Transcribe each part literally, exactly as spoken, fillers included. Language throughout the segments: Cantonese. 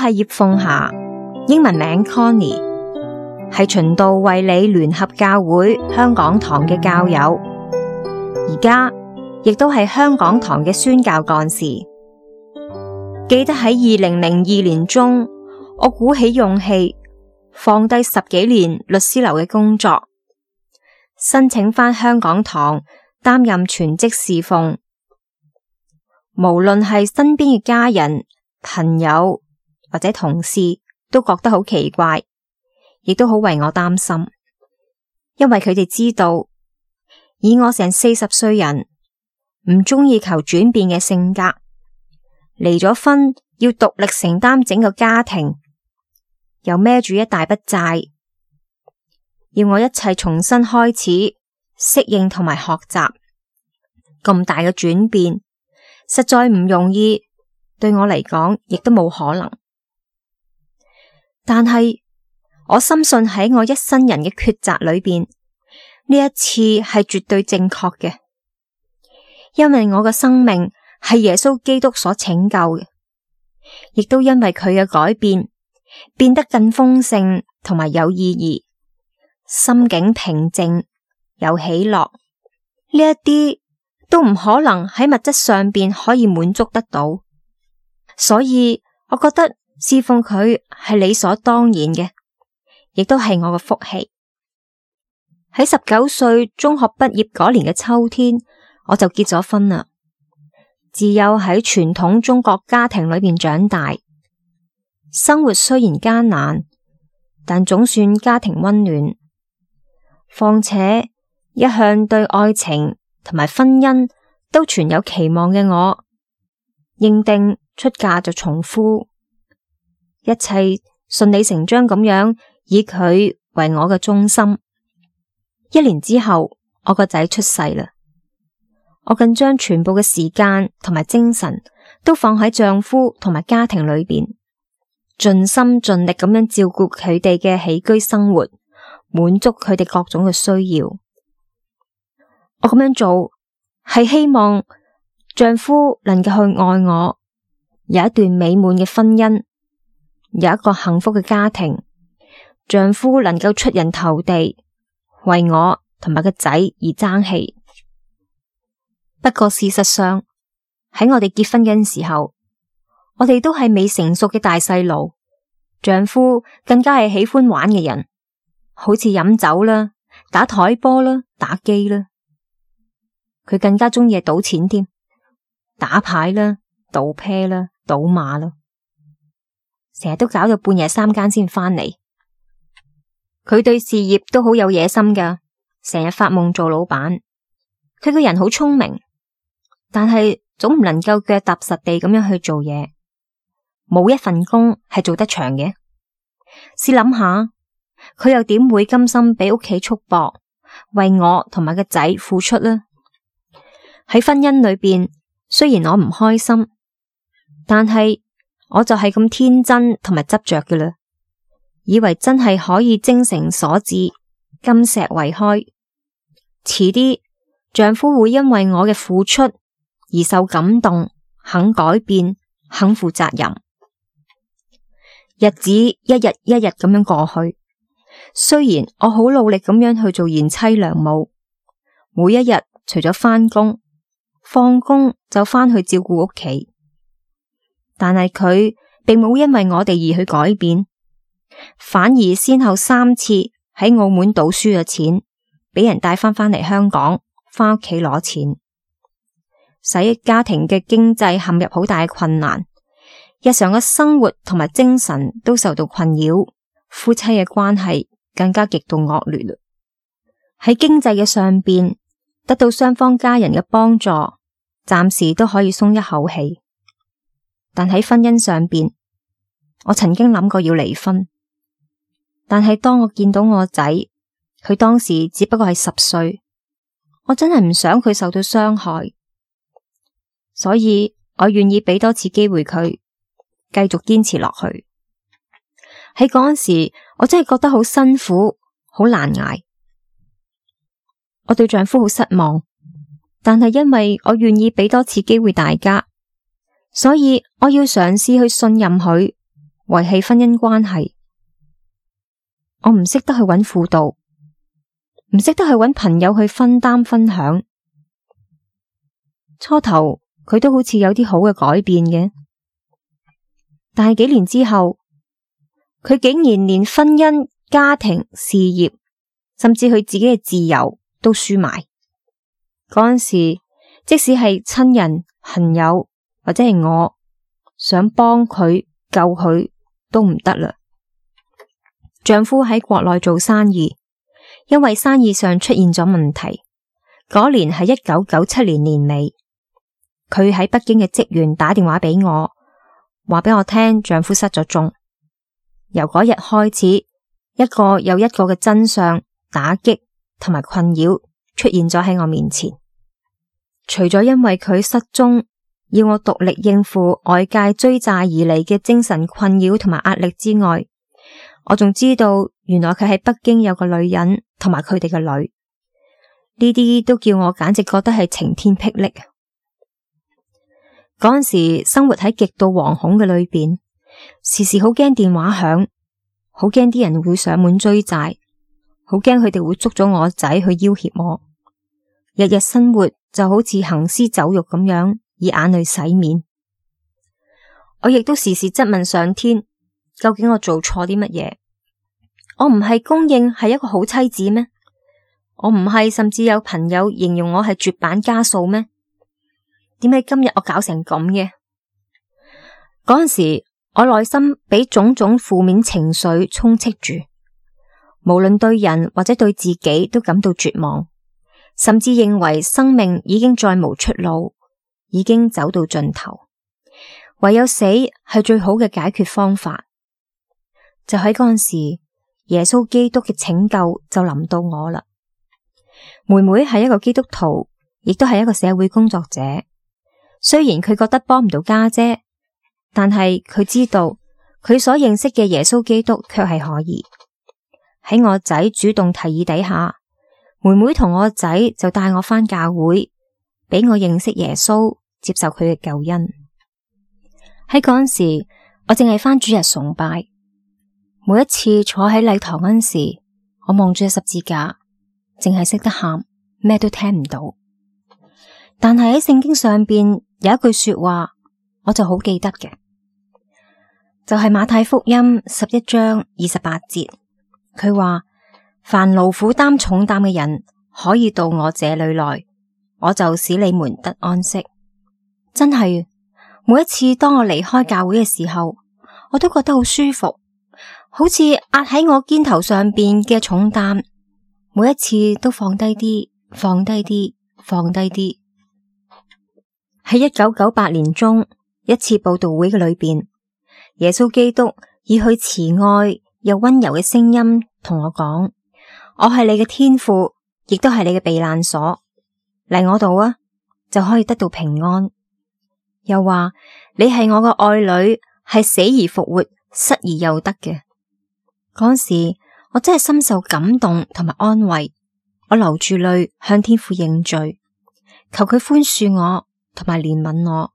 係葉鳳霞，英文名 Connie， 係循道衛理聯合教會香港堂嘅教友，而家亦都係香港堂嘅宣教幹事。記得喺二零零二年中，我鼓起勇氣放低十幾年律師樓嘅工作，申請返香港堂擔任全職侍奉。無論係身邊嘅家人、朋友或者同事，都覺得好奇怪，亦都好為我擔心，因為佢哋知道以我成四十歲人唔中意求轉變嘅性格，離咗婚要獨力承擔整個家庭，又孭住一大筆債，要我一切重新開始適應同埋學習，咁大嘅轉變實在唔容易，對我嚟講亦都冇可能。但係我深信喺我一生人嘅抉擇裏邊，呢一次係絕對正確嘅，因為我嘅生命係耶穌基督所拯救嘅，亦都因為佢嘅改變變得更豐盛同埋有意義，心境平靜有喜樂，呢一啲都唔可能喺物質上邊可以滿足得到，所以我覺得侍奉佢係理所當然嘅，亦都係我嘅福氣。喺十九歲中學畢業嗰年嘅秋天，我就結咗婚啦。自幼喺傳統中國家庭裏邊長大，生活雖然艱難，但總算家庭溫暖。況且一向對愛情同埋婚姻都存有期望嘅我，認定出嫁就從夫，一切順理成章咁樣以佢為我嘅中心。一年之後，我個仔出世啦，我更將全部嘅時間同埋精神都放喺丈夫同埋家庭裏邊，盡心盡力咁樣照顧佢哋嘅起居生活，滿足佢哋各種嘅需要。我咁樣做係希望丈夫能夠去愛我，有一段美滿嘅婚姻，有一個幸福嘅家庭，丈夫能夠出人頭地，為我同埋個仔而爭氣。不過事實上喺我哋結婚嘅時候，我哋都係未成熟嘅大細路，丈夫更加係喜歡玩嘅人，好似飲酒啦、打台波啦、打機啦。佢更加鍾意賭錢添，打牌啦、賭啤啦、賭馬啦，成日都搞到半夜三更先返嚟。佢對事業都好有野心噶，成日發夢做老闆。佢個人好聰明，但係總唔能夠腳踏實地咁樣去做嘢，冇一份工係做得長嘅。試諗下，佢又點會甘心俾屋企束縛，為我同埋個仔付出呢？喺婚姻裏邊，雖然我唔開心，但係我就係咁天真同埋執着嘅啦，以為真係可以精誠所至，金石為開。遲啲丈夫會因為我嘅付出而受感動，肯改變，肯負責任。日子一日一日咁樣過去，雖然我好努力咁樣去做賢妻良母，每一日除咗返工，放工就返去照顧屋企，但係佢並冇因為我哋而去改變，反而先後三次喺澳門賭輸咗錢，俾人帶返返嚟香港，返屋企攞錢，使家庭嘅經濟陷入好大嘅困難，日常嘅生活同埋精神都受到困擾，夫妻嘅關係更加極度惡劣啦。喺經濟嘅上邊得到雙方家人嘅幫助，暫時都可以鬆一口氣，但喺婚姻上邊，我曾經諗過要離婚，但係當我見到我仔，佢當時只不過係十歲，我真係唔想佢受到傷害，所以我願意俾多次機會佢繼續堅持落去。喺嗰陣時，我真係覺得好辛苦，好難捱。我對丈夫好失望，但係因為我願意俾多次機會大家，所以我要嘗試去信任佢，維繫婚姻關係。我唔識得去揾輔導，唔識得去揾朋友去分擔分享。初頭佢都好似有啲好嘅改變嘅，但係幾年之後，佢竟然連婚姻、家庭、事業，甚至佢自己嘅自由都輸埋。嗰陣時，即使係親人、朋友或者係我想幫佢救佢都唔得啦。丈夫喺國內做生意，因為生意上出現咗問題。嗰年係一九九七年年尾，佢喺北京嘅職員打電話俾我，話俾我聽丈夫失咗蹤。由嗰日開始，一個又一個嘅真相、打擊同埋困擾出現咗喺我面前。除咗因為佢失蹤，要我獨力應付外界追債而嚟嘅精神困擾同埋壓力之外，我仲知道原來佢喺北京有個女人同埋佢哋嘅女，呢啲都叫我簡直覺得係晴天霹靂。嗰陣時生活喺極度惶恐嘅裏邊，時時好驚電話響，好驚啲人會上門追債，好驚佢哋會捉咗我仔去要挾我。日日生活就好似行屍走肉咁樣，以眼淚洗面。我亦都時時質問上天，究竟我做錯啲乜嘢？我唔係公認係一個好妻子咩？我唔係甚至有朋友形容我係絕版家數咩？點解今日我搞成咁嘅？嗰陣時我內心俾種種負面情緒充斥住，無論對人或者對自己都感到絕望，甚至認為生命已經再無出路，已經走到盡頭，唯有死係最好嘅解決方法。就喺嗰陣時，耶穌基督嘅拯救就臨到我啦。妹妹係一個基督徒，亦都係一個社會工作者。雖然佢覺得幫唔到家姐，但係佢知道佢所認識嘅耶穌基督卻係可以。喺我仔主動提議底下，妹妹同我仔就帶我返教會，俾我認識耶穌，接受佢嘅救恩。喺嗰陣時，我淨係返主日崇拜。每一次坐喺禮堂嗰陣時，我望住十字架，淨係識得喊，咩都聽唔到。但係喺聖經上邊有一句說話，我就好記得嘅，就係馬太福音十一章二十八節，佢話：凡勞苦擔重擔嘅人，可以到我這裏來，我就使你們得安息。真係，每一次當我離開教會嘅時候，我都覺得好舒服。好似壓喺我肩頭上邊嘅重擔，每一次都放低啲，放低啲，放低啲。喺一九九八年中一次佈道會嘅裏邊，耶穌基督以佢慈愛又溫柔嘅聲音同我講：我係你嘅天父，亦都係你嘅避難所，嚟我度啊，就可以得到平安。又話你係我嘅愛女，係死而復活，失而又得嘅。嗰時我真係深受感動同埋安慰，我流住淚向天父認罪，求佢寬恕我同埋憐憫我，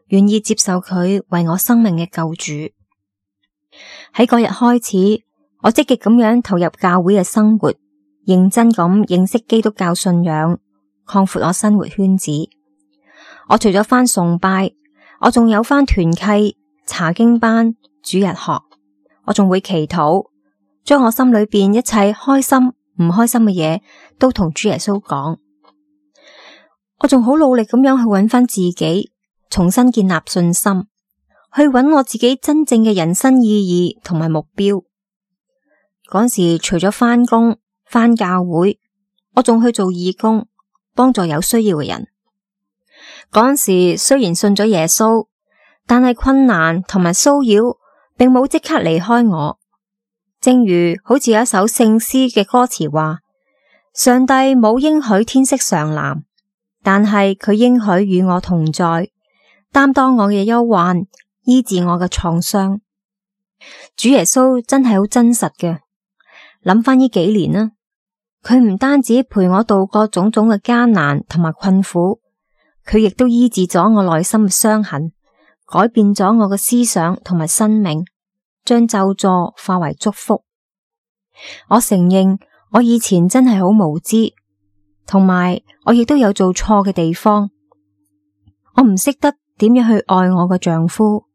願意接受佢為我生命嘅救主。喺嗰日開始，我積極咁樣投入教會嘅生活，認真咁認識基督教信仰，擴闊我生活圈子。我除咗返崇拜，我仲有返團契、查經班、主日學。我仲會祈禱，將我心裏邊一切開心唔開心嘅嘢都同主耶穌講。我仲好努力咁樣去揾翻自己，重新建立信心，去揾我自己真正嘅人生意義同埋目標。嗰時除咗翻工、翻教會，我仲去做義工，幫助有需要嘅人。嗰時雖然信咗耶穌，但係困難同埋騷擾並冇即刻離開我，正如好似有一首聖詩嘅歌詞話：上帝冇應許天色常藍，但係佢應許與我同在，擔當我嘅憂患，醫治我嘅創傷。主耶穌真係好真實嘅，諗翻呢幾年啦，佢唔單止陪我度過種種嘅艱難同埋困苦，佢亦都醫治咗我內心嘅傷痕，改變咗我嘅思想同埋生命，將咒詛化為祝福。我承認我以前真係好無知，同埋我亦都有做錯嘅地方。我唔識得點樣去愛我嘅丈夫，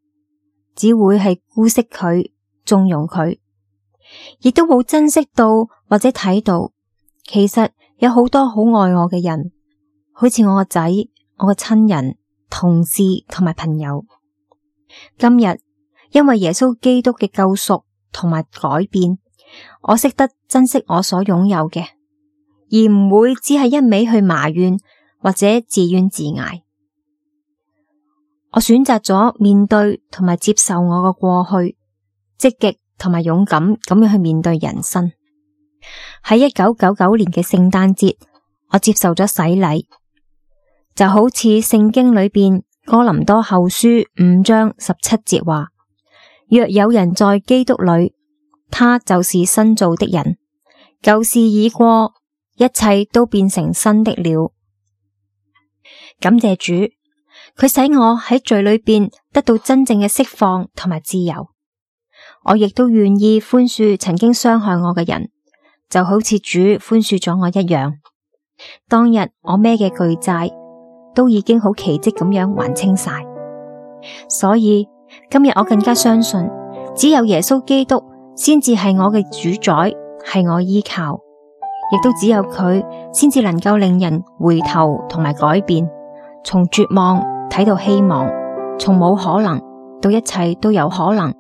只會係姑息佢，縱容佢，亦都冇珍惜到或者睇到，其實有好多好愛我嘅人，好似我個仔、我嘅親人、同事同埋朋友。今日因為耶穌基督嘅救贖同埋改變，我識得珍惜我所擁有嘅，而唔會只係一味去埋怨或者自怨自艾。我選擇咗面對同埋接受我嘅過去，積極同埋勇敢咁樣去面對人生。喺一九九九年嘅聖誕節，我接受咗洗禮，就好似聖經裏邊哥林多後書五章十七節話：若有人在基督裏，他就是新造的人，舊事已過，一切都變成新的了。感謝主，佢使我喺罪裏邊得到真正嘅釋放同埋自由。我亦都願意寬恕曾經傷害我嘅人，就好似主寬恕咗我一樣。當日我孭嘅巨債都已經好奇蹟咁樣還清晒，所以今日我更加相信，只有耶穌基督先至係我嘅主宰，係我依靠，亦都只有佢先至能夠令人回頭同埋改變，從絕望睇到希望，從冇可能到一切都有可能。